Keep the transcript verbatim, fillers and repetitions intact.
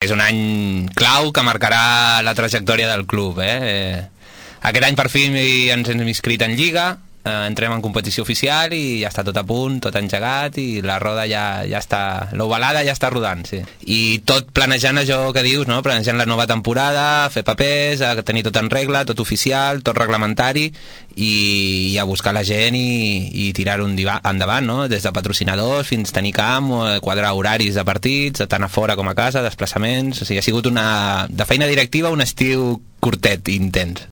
És un any clau que marcarà la trajectòria del club, eh? eh aquest any per fi ens hem inscrit en Lliga, eh, entrem en competició oficial i ja està tot a punt, tot engegat i la roda ja, ja està, l'ovalada ja està rodant, sí. I tot planejant això que dius, no? Planejant la nova temporada, fer papers, a tenir tot en regla, tot oficial, tot reglamentari i, i a buscar la gent i, i tirar-ho endavant, no? Des de patrocinadors fins tenir camp, quadrar horaris de partits, tant a fora com a casa, desplaçaments, o sigui, ha sigut una, de feina directiva un estiu curtet i intens.